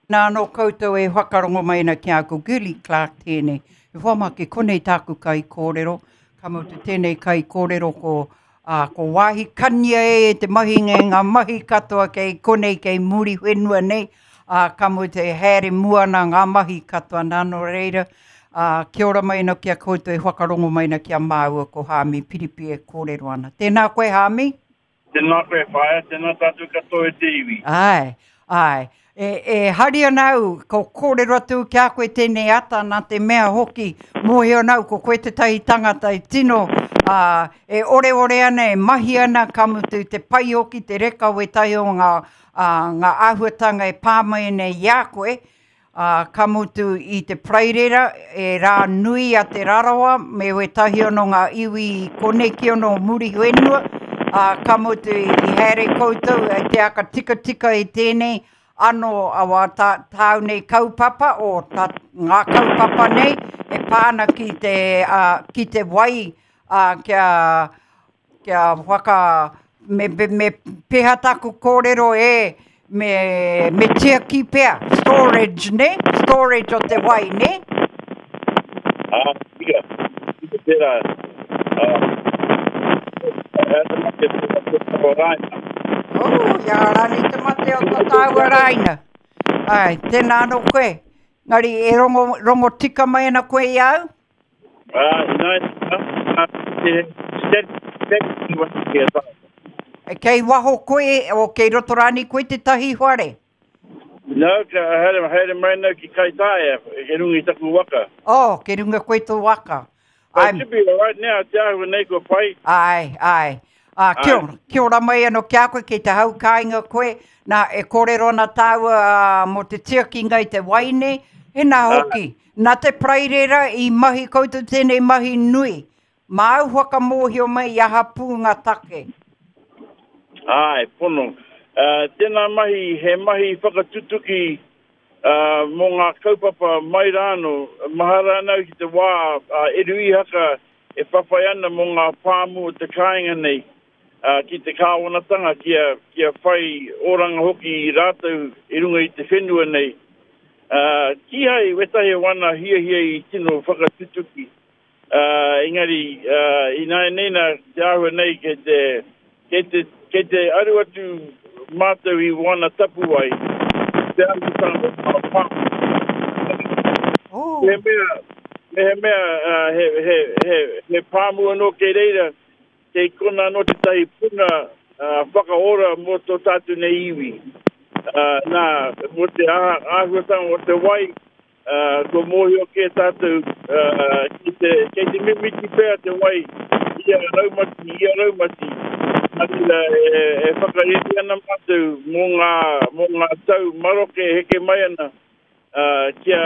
Nā anō koutou e whakarongo mai ana ki a ko Girlie Clarke tēnei. E hoa mā ki konei tāku kaikōrero, ka mutu tēnei kaikōrero ko, ā, ko wāhi kania e te mahinga i ngā mahi katoa kei konei kei Muriwhenua nei, ā, ka mutu e haere mua ana ngā mahi katoa nā nō reira, ā, kia ora mai ana ki a koutou e whakarongo mai ana ki a māua ko Haami Piripi e kōrero ana. Tēnā koe Haami. Tēnā koe whaea, tēnā tātou katoa e te iwi. Āe, āe. E, e hari ana au, ko kōrero atu ki a koe tēnei ata nā te mea hoki, mōhio ana au ko koe tētahi tangata e tino, ā, e oreore ana, e mahi ana, ka mutu te pai hoki, te reka o ētahi o ngā, ā, ngā āhuatanga e pā mai nei i a koe, ā, ka mutu i te Parairera, e rā nui a Te Rarawa me wētahi anō ngā iwi i konei ki ono Muriwhenua, ā, ka mutu i haere koutou e te aka tikatika i tēnei anō awa tā, tāu nei kaupapa o tā, ngā kaupapa nei e pā ana ki te, ā, ki te wai, ā, kia, Kia whaka, me, me, me peha taku kōrero e, me, me tiaki pea, storage, ne? Storage o te wai, ne? Ā, tika, tika tērā. Ā, he aha te mate o tō tāua rāina? Oh, ia rānei te mate o tō tāua rāina. Ai, tēnā anō koe. Ngari, e rongo, rongo tika mai ana koe i a au? Ā, ināianei, ā, te steady, steady ki a tātou. Kei waho koe, o kei roto rānei koe tētahi whare? No, ka haere, haere mai nau ki Kaitāia, kei runga i taku waka. Oh, kei runga koe tō waka. But it should be all right now, te āhua nei kua pai. Ai, ai. Ā, kia ora, kia ora mai anō ki a koe, kei te hau kāinga koe. Nā, e kōrero ana tāua mō te tiakinga i te wai nei, hēnā hoki, nā te Parairera i mahi koutou tēnei mahi nui. Māu whakamōhio mai i aha pū ngā take. Āe, pono. Tēnā mahi, he mahi whakatutuki mō ngā kaupapa mai rānō. Mahara ana au ki te wā a Eru Ihaka e whawhai ana mō ngā pāmu o te kāinga nei ki te kāwanatanga kia, kia whai oranga hoki rātou i runga i te whenua nei. Kīhai wētahi o ana hiahia i tino whakatutuki. Ā, engari, ā, ināianei nā, te āhua nei kei te, kei te, kei te aru atu mātou i wāna tapuwae, te āhuatanga o ngā pāmu. Oh. Mehemea, mehemea, ā, he, he, he, he pāmu anō kei reira, kei kona anō tētahi puna, ā, whakaora mō tō tātou nei iwi. Ā, nā, mō te aha, āhuatanga o te wai, Ā, kua mōhio kē tātou, ā, kei te, kei te mimiti pea te wai ia raumati, ia raumati. Nā reira, e, e whakareri ana mātou mō ngā, mō ngā tau maroke e heke mai ana, ā, kia,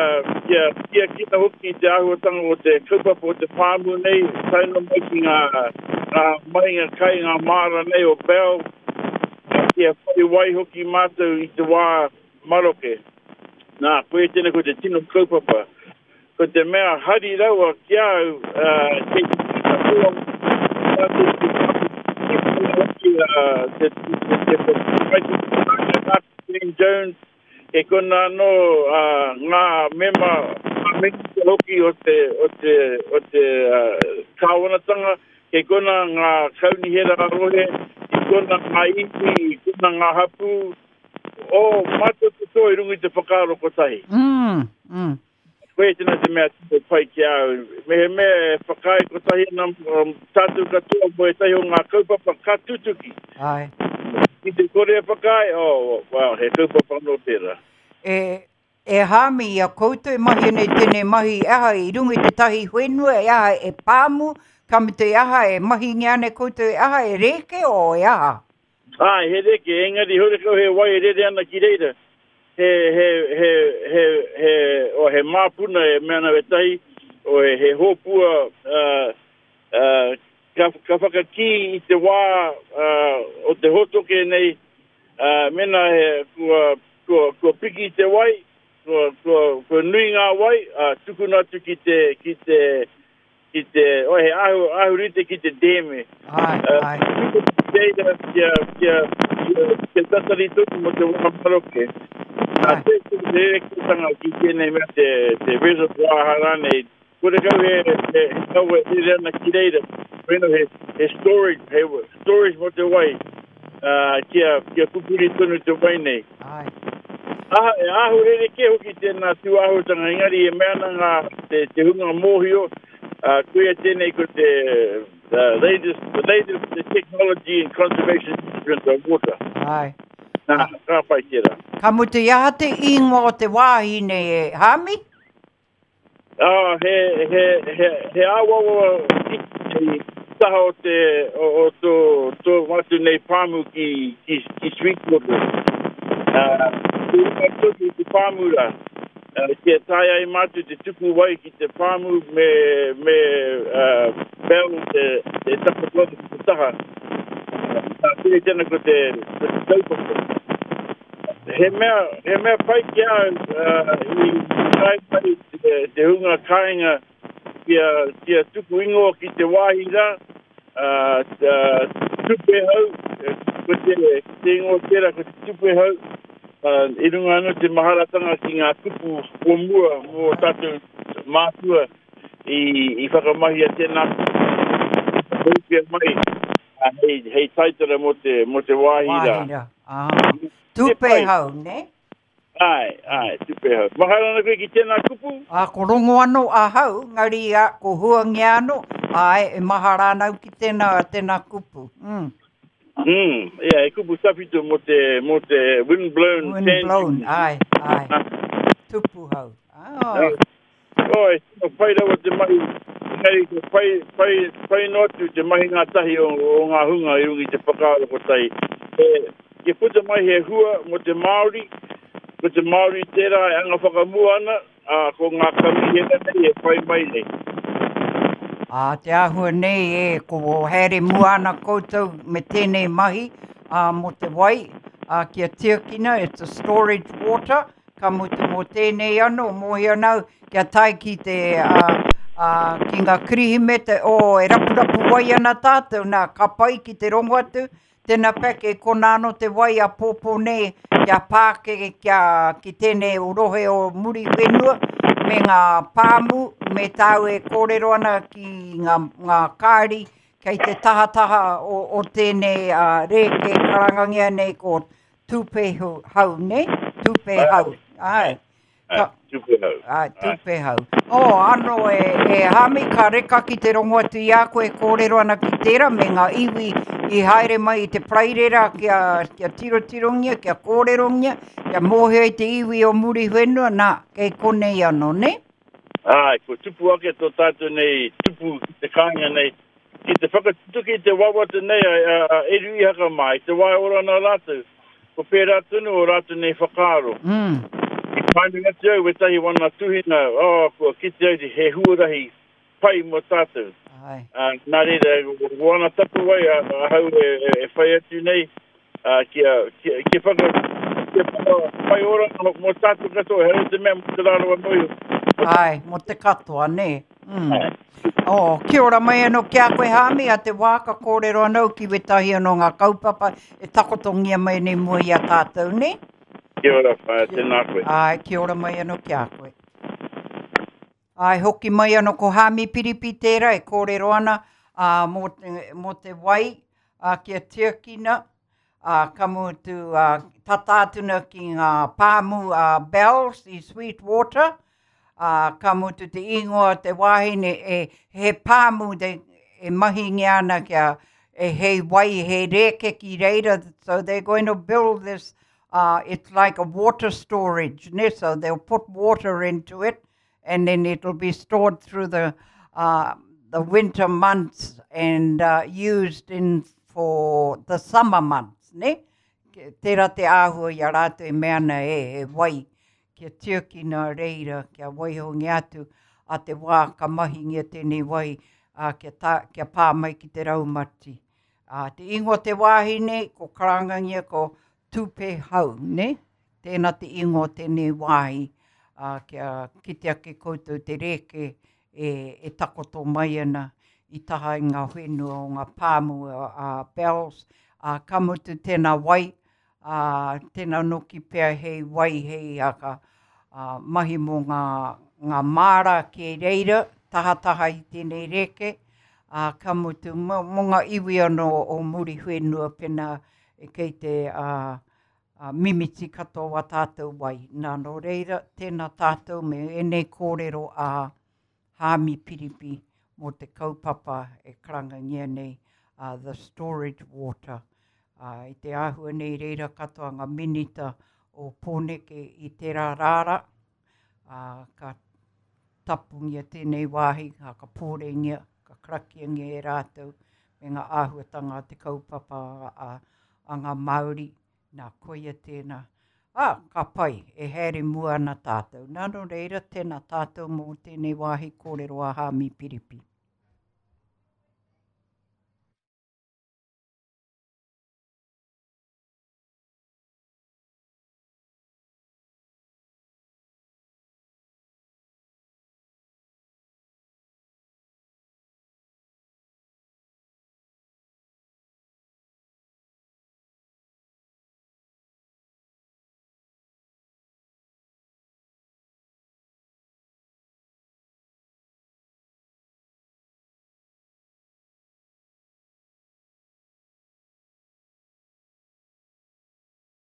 kia tiakina hoki te āhuatanga o te kaupapa o te pāmu nei, tae noa mai ki ngā, ngā mahinga kai, ngā māra nei o Bell, kia whai wai hoki mātou i te wā maroke. Nā, koia tēnei ko te tino kaupapa. Ko te mea hari rawa ki a au, kei te katoa tātou ki te te te te Glenn Jones, kei kona anō ngā mema, ngā minita hoki o te, o te, o te kāwanatanga, kei kona ngā kaunihera rohe, kei kona ngā iwi, kei kona ngā hapū, Oh, mātou katoa i runga i te whakaaro kotahi. Mm, mm. Koia tēnā te mea tino pai ki a au. Mehemea e whakaae kotahi ana um, tātou katoa mō ētahi o ngā kaupapa ka tutuki. Ai. Ki te kore e whakaae, oh, well, he kaupapa anō tērā. E, e Hāmi, i a koutou e mahi ana i tēnei mahi, e aha i runga i tētahi whenua, e aha e pāmu, ka mutu e aha e mahingia ana e koutou, e aha e rēke o e aha? Āe, he reke, engari horekau he wai e rere ana ki reira. He, he, he, he, he, oh, he māpuna e mea ana wētahi, oh, he, he hōpua, uh, uh, ka, ka whakakī i te wā uh, o te hōtoke nei, uh, mēnā he, kua, kua, kua piki te wai, kua, kua, kua nui ngā wai, uh, tukuna atu ki te, ki te, ki te, oh, he ahu, ahu rite ki te dēme. Ai, ai. Reira, kia, kia, kia, kia tatari tonu mō te wā maroke. Nā te rerekētanga ki tēnei mea te, te reservoir rānei, korekau he, he, he kawe e rere ana ki reira, weno he, he storage, he storage mō te wai, uh, kia, kia pupuri tonu te wai nei. Ai. Aha, e āhua rerekē hoki tēnā tūāhuatanga, engari e mea ana ngā, te, te hunga mōhio, uh, koia tēnei ko te the latest, the latest the technology in conservation management of water. Ai. Nā, ka pai tērā. Ka mutu i aha te ingoa o te wāhi nei e Hami? Ah, he, he, he, he awawa i taha o te, o, o tō, tō mātou nei pāmu ki, ki, ki Sweetwater. Uh, te tonu te pāmu rā. Uh, kia taea ai mātou te tuku wai ki te pāmu me, me uh, Bell te, te takoto ki te taha. Nā, tēnei tēnā ko te, ko te taupapa. He mea, he mea pai ki a au uh, i tae mai te, te hunga kāinga kia, kia tuku ingoa ki te wāhi rā, uh, uh, Tupehau, ko te, te ingoa tērā ko te Tupehau, uh, i runga anō te maharatanga ki ngā kupu o mua mō tātou mātua i, i whakamahia tēnā whakaupia mai hei, hei taitara mō te, mō te wāhi rā. Wāhi rā, ah. Tupehau, ne? Āe, āe, tupehau. Mahara ana koe ki tēnā kupu? Ā, ko rongo anō ahau, ngari ā, ko huangia anō, āe, e mahara ana au ki tēnā, tēnā kupu. Mm. Mm, yeah, he kupu tawhito mō te, mō te windblown sand. Windblown, āe, āe. Tupuhau. Ah. Oh, e tino pai rawa te mahi, engari ko pai, pai, pai noa atu te mahi ngātahi o, o ngā hunga i runga i te whakaaro kotahi. E, kia puta mai he hua mō te Māori, ko te Māori tērā e anga whakamua ana, ā, ko ngā kamihera nei e whai mai nei. Ā, te āhua nei e, ko haere mua ana koutou me tēnei mahi, ā, mō te wai, ā, kia tiakina, it's a storage water, Ka mutu mō tēnei anō, mōhio ana au kia tae ki te, ā, ā, ki ngā Kirihimete, ō, e rapurapu wai ana tātou, nā, ka pai ki te rongo atu, tēnā pea kei konā anō te wai āpōpō nei kia pāke kia, ki tēnei o rohe o Muriwhenua me ngā pāmu, me tāu e kōrero ana ki ngā, ngā kāri kei te tahataha o, o tēnei ā, rēke karangangia nei ko Tupehau, ne? Tupehau. Ai. Ka, Tupehau. Ai, Tupehau. Oh, ano e, e Hami, ka reka ki te rongo atu i a koe kōrero ana ki tērā me ngā iwi i haere mai i te Paraire kia, kia tirotirongia, kia kōrerongia, kia mōhio i te iwi o Muriwhenua, nā, kei konei anō, ne? Ai, kua tupu ake tō tātou nei tupu ki te kāinga nei, Ki te whakatutuki i te wawata nei a Eru Ihaka mā, i te wā e ora ana rātou, ko pērā tonu ō rātou nei whakaaro. I pānui atu au wētahi wana tuhinga, oh, kua kite au he huarahi pai mō tātou. Nā reira, ko ana tapuwae ahau e whai atu nei, kia, kia, kia whaka, kia whaka whai oranga mō tātou katoa, ehara i te mea mō Te Rarawa noa iho. Āe, mō te katoa, nē. Mm. Oh, kia ora mai anō ki a koe Hāmi, a te wā ka kōrero anō ki wētahi anō ngā kaupapa e takotongia mai nei mua i a tātou, nē? Kia ora, whaea, tēnā koe. Āe, kia ora mai anō ki a koe. Āe, hoki mai anō ko Hāmi Piripi tērā e kōrero ana ā, mō, te, mō te wai ā, kia tiakina, ā, ka mutu ā, tata atu na ki ngā pāmu a Bells i Sweetwater, ā, ka mutu te ingoa o te wāhine e, he pāmu te, e mahingia ana kia e hei wai, he rēke ki reira, so they're going to build this, uh, it's like a water storage, ne? So they'll put water into it and then it'll be stored through the, uh, the winter months and uh, used in for the summer months, ne? Tērā te āhua i a rātou e mea ana e, he wai kia tiakina reira, kia waihongia atu a te wā ka mahingia tēnei wai a, kia, tā, kia pā mai ki te raumati. A, te ingoa te wāhi nei, ko karangangia ko Tupehau, ne? Tēnā te ingoa o tēnei wāhi, ā, kia kite ake koutou te rēke e, e takoto mai ana i taha i ngā whenua o ngā pāmu a Bells, ā, ka mutu tēnā wai, Ā, tēnā noki pea hei wai, hei aka, ā, mahi mō ngā, ngā māra kei reira, tahataha i tēnei rēke, ā, ka mutu, mō, mō ngā iwi anō o Muriwhenua pēnā e kei te, ā, ā, mimiti katoa wā tātou wai. Nā, nō reira, tēnā tātou me ēnei kōrero a Haami Piripi mō te kaupapa e karangangia nei a The Storage Water. Ā, i te āhua nei reira katoa ngā minita o Pōneke i tērā rāra, ā, ka tapungia tēnei wāhi, ka ka pōrengia, ka karakiangia e rātou me ngā āhuatanga a te kaupapa a, a ngā Māori Nā, koia tēnā. Ā, ka pai, e haere mua ana tātou. Nā, nō reira, tēnā tātou mō tēnei wāhi kōrero a Hāmi Piripi.